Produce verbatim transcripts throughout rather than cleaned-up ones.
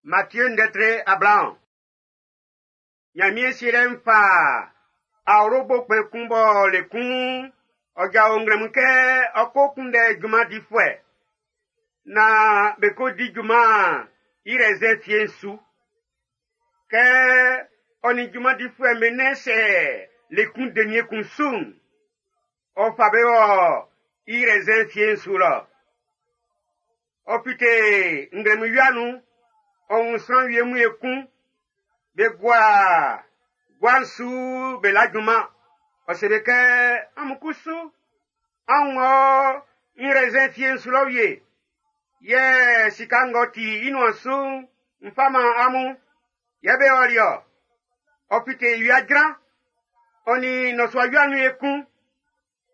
Matthieu ndɛtre Abraham. Ɲanmiɛn sielɛ'n fa awlobo kpɛn kun bɔ le kun ɔ jao nglɛmun kɛ ɔ ko kunndɛ junman difuɛ naan be ko di junman i rɛzɛn fie'n su. Kɛ ɔ nin junman difuɛ'm be nɛn sɛ le kun denie kun su'n, ɔ fa be wɔ i rɛzɛn fie'n su lɔ. Ɔ fite nglɛmun wia nun, ɔ wun sran wie mun ekun, be gua gua'n su be la junman. Ɔ se be kɛ amun kusu, an wɔ i rɛzɛn fie'n su lɔ wie. Yɛ sika ng'ɔ ti i nuan su'n, n fa man amun. Yɛ be ɔli-ɔ. Ɔ fite wia jran, ɔ nin nnɔsua wia nun ekun,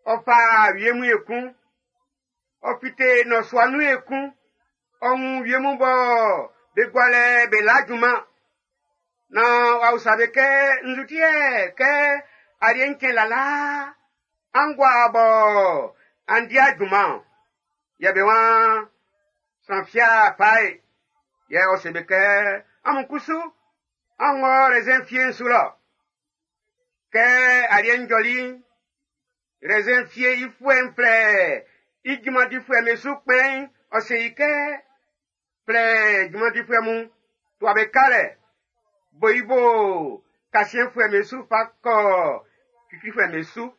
ɔ fa wie mun ekun. Ɔ fite nnɔsua nun ekun, ɔ wun wie mun bɔ be gualɛ be la junman. Na w'a usa be kɛ nzutiɛ kɛ aliɛ ŋkɛn lala, an gua bɔ an dia junman. Yɛ be wan sran fia pae. Yɛ ɔ se be kɛ amun kusu, an wɔ rɛzɛn fie'n su lɔ. Kɛ aliɛ njɔli'n, rɛzɛn fie i fuɛ'n flɛ i junman difuɛ'm be su kpɛn'n, ɔ se i kɛ flɛ junman difuɛ mun, tua be kalɛ, bo i bo kasiɛnfuɛ'm be su fa kɔ kiklifuɛ'm be su.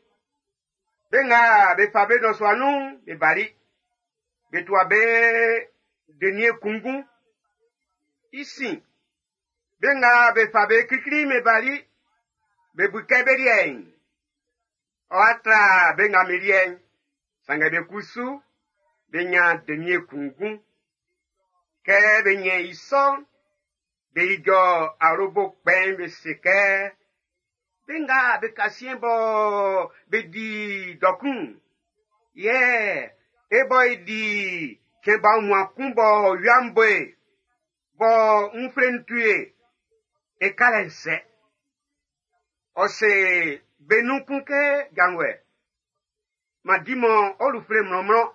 Be nga be fa be nnɔsua nun'n, be bali. Be tua be denie kunngun. I sin, be nga be fa be klikli'n be bali, be bu kɛ be liɛ'n, ɔ'a tra be nga be liɛ'n. Sanngɛ be kusu, be nya denie kunngun. Kɛ be nyɛ i sɔ'n, be ijɔ awlobo kpɛn'n be se kɛ, be nga be kasiɛn bɔ be di dɔkun, yɛ e bɔ e di cɛn ba wunmuan kun bɔ wia'n bo e, bɔ nfle'n tu e, e kalɛ nsɛ. Ɔ se be nun kun kɛ janvuɛ, ma di mɔ ɔlufle mlɔnmlɔn.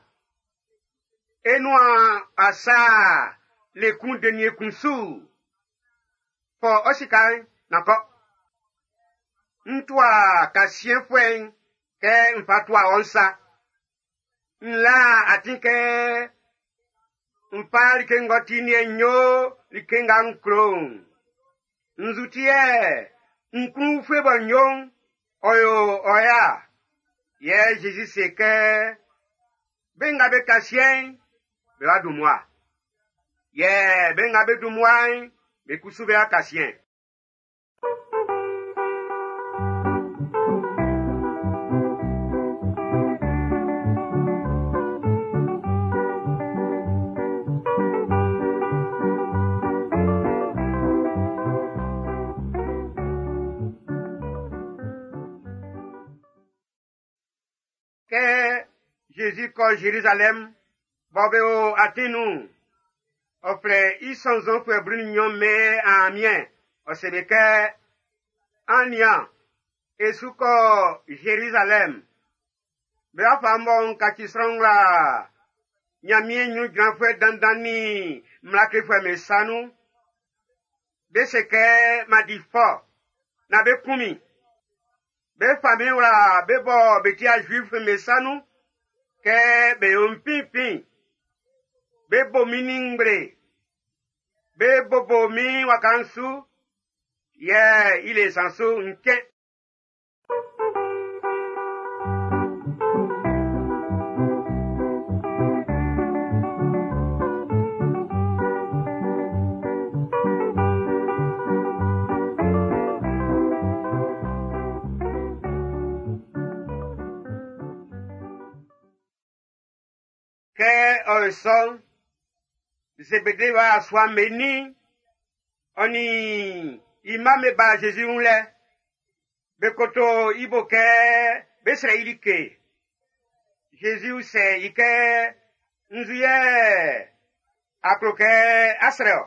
E nuan asa le kun denie kun su. Fɔ ɔ sika'n na kɔ. N tua kasiɛnfuɛ'n kɛ n fa tua ɔ nsa. N la atin kɛ n fa like ng'ɔ ti nie nyo like nga n klo'n. Nzutiɛ n kun fue bɔ nyo'n, ɔ yo ɔ ya. Yɛ Jésus se kɛ be nga be kasiɛn'n, be wa dun mmua. Yɛ be nga be dun mmua'n, be kusu be wa kasiɛn. Kɛ Jésus kɔ Jérusalem, bɔ be o atin nun, ɔ flɛ i sɔnnzɔnfuɛ blu nin nnyɔn mɛn amiɛn, ɔ se be kɛ, an nian, e su kɔ Jérusalem. Be wa fa mbɔ n kaci sran wla Ɲanmiɛn ɲrun jranfuɛ dandan ni mmla klefuɛ'm be sa nun. Be se kɛ ma di fɔ, na be kun min. Be fa min wla be bɔ be tia Juif'm be sa nun, kɛ be yo n finfin. Be bo min ni ngble. Be bobo min waka'n su, yɛ i le san su n cɛn. Kɛ ɔ sɔn, Zebede wa sua meni, ɔ ni i mma me ba Jésus wun lɛ. Be koto i bo kɛ be srɛ i like. Jésus sɛ i kɛ, nzu yɛ a klo kɛ a srɛ ɔ?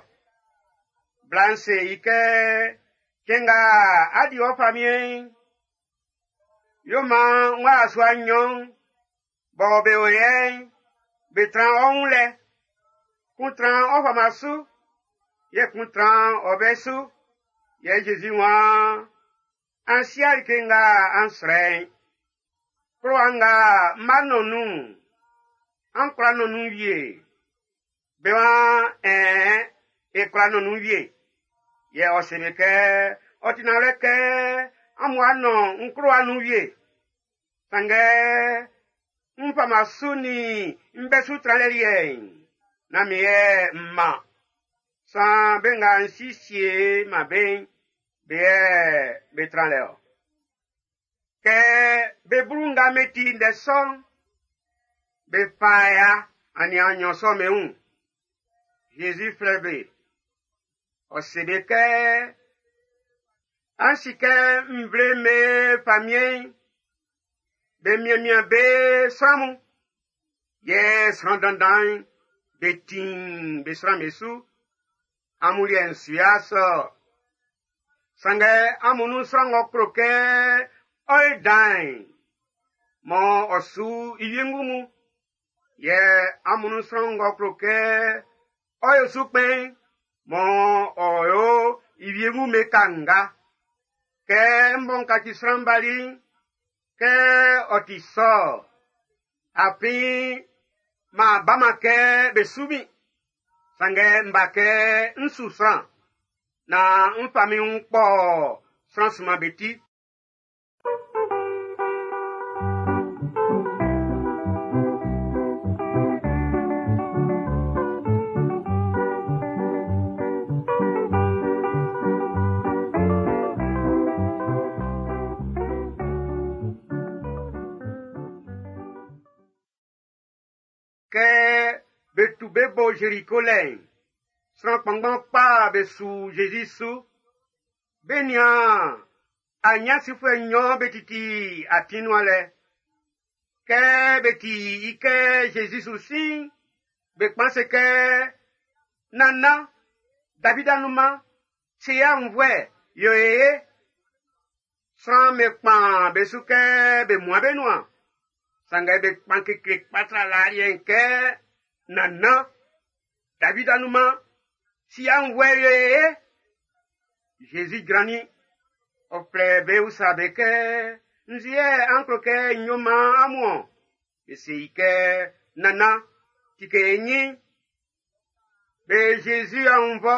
Bla'n se i kɛ, cɛn nga a di ɔ famiɛn'n, yo man n wa sua nnyɔn bɔ be o yɛ'n, be tran ɔ wun lɛ. Kun tran ɔ fama su, Yɛ kun tran ɔ bɛ su. Yɛ Zezi waan, an sia like nga an srɛ'n. Klowa nga m b'a nɔn nun'n, an kwla nɔn nun wie. Be waan, ɛɛn, e kwla nɔn nun wie. Yɛ ɔ se be kɛ, ɔ ti nanwlɛ kɛ amun a nɔn n klowa nun wie. Sanngɛ, n fama su nin n bɛ su tranlɛ liɛ'n, nán min yɛ m man. San be nga n siesie man be'n, be yɛ be tran lɛ ɔ. Kɛ be blu nga be ti ndɛ sɔ'n, be fa ya aniaan nnyɔn sɔ'm be wun. Zezi flɛ be. Ɔ se be kɛ, an si kɛ nvle me famiɛn'n, be mianmian be sran mun. Yɛ sran dandan'n, be ti'n be sran be su. Amun liɛ'n su ya sɔ. Sanngɛ amun nun sran ng'ɔ klo kɛ ɔ ye dan'n, mɔ ɔ su i wiengu mun. Yɛ amun nun sran ng'ɔ klo kɛ ɔ ye su kpɛn'n, mɔ ɔ yo i wiengu me kanga. Kɛ m bɔ n kaci sran bali'n, kɛ ɔ ti sɔ, afin ma ba ma kɛ be su min. Sanngɛ m ba kɛ n su sran, na n fa min wun kpɔ sran sunman be ti. Kɛ be tu be bo Jeriko lɛ'n, sran kpanngban kpa be su Zezi su. Be nian anyansifuɛ nnyɔn be titi atin nuan lɛ. Kɛ be ti i kɛ Zezi su sin'n, be kpan se kɛ, Nana, David anunman, se ya nvuɛ, yo e ye. Sran me kpan be su kɛ be mua be nuan. Sanngɛ be kpan kekle kpa tra laa liɛ'n kɛ, Nana, David anunman, si ya nvuɛ, yo e ye. Zezi jrannin, ɔ flɛ be usa be kɛ, Nzu yɛ an klo kɛ n yo man amun ɔ? Be se i kɛ, Nana, tike e nyin. Be Zezi aunnvɔ,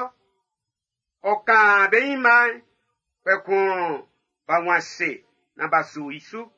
ɔ kan be ɲinma'n, kpɛkun b'a wun ase na b'a su i su.